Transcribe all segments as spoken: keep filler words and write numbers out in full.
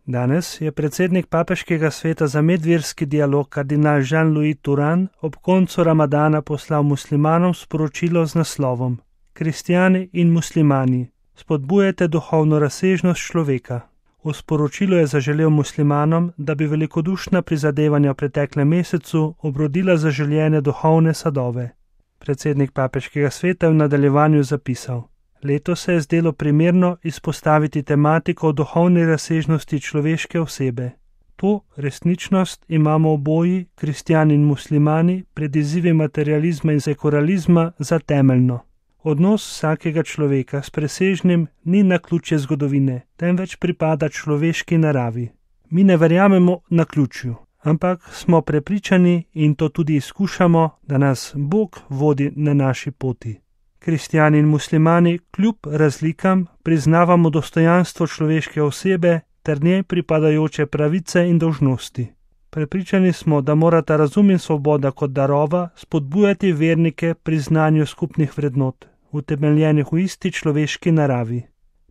Danes je predsednik Papeškega sveta za medverski dialog kardinal Jean-Louis Turan ob koncu Ramadana poslal muslimanom sporočilo z naslovom Kristjani in muslimani, spodbujajte duhovno razsežnost človeka. V sporočilu je zaželel muslimanom, da bi velikodušna prizadevanja v preteklem mesecu obrodila zaželjene duhovne sadove. Predsednik Papeškega sveta je v nadaljevanju zapisal: Letos se je zdelo primerno izpostaviti tematiko o duhovni razsežnosti človeške osebe. To resničnost imamo oboji, kristjani in muslimani, pred izzivi materializma in sekulalizma za temeljno. Odnos vsakega človeka s presežnim ni naključje zgodovine, temveč pripada človeški naravi. Mi ne verjamemo naključju, ampak smo prepričani in to tudi izkušamo, da nas Bog vodi na naši poti. Kristjani in muslimani kljub razlikam priznavamo dostojanstvo človeške osebe ter njej pripadajoče pravice in dolžnosti. Prepričani smo, da morata razum in svoboda kot darova spodbujati vernike pri znanju skupnih vrednot, utemeljenih v isti človeški naravi.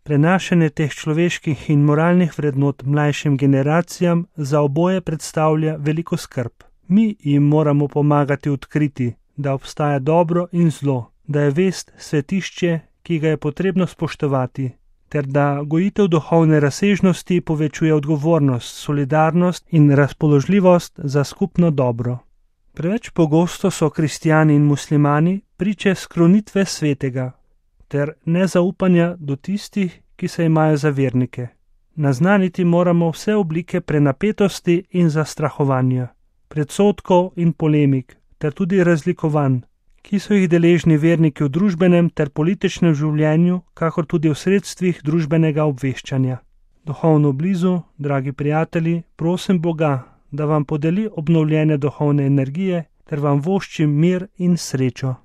Prenašanje teh človeških in moralnih vrednot mlajšim generacijam za oboje predstavlja veliko skrb. Mi jim moramo pomagati odkriti, da obstaja dobro in zlo, da je vest svetišče, ki ga je potrebno spoštovati, ter da gojitev duhovne razsežnosti povečuje odgovornost, solidarnost in razpoložljivost za skupno dobro. Preveč pogosto so kristjani in muslimani priče skrunitve svetega ter nezaupanja do tistih, ki se imajo za vernike. Naznaniti moramo vse oblike prenapetosti in zastrahovanja, predsodkov in polemik ter tudi razlikovanj, ki so jih deležni verniki v družbenem ter političnem življenju, kakor tudi v sredstvih družbenega obveščanja. Duhovno blizu, dragi prijatelji, prosim Boga, da vam podeli obnovljene duhovne energije ter vam voščim mir in srečo.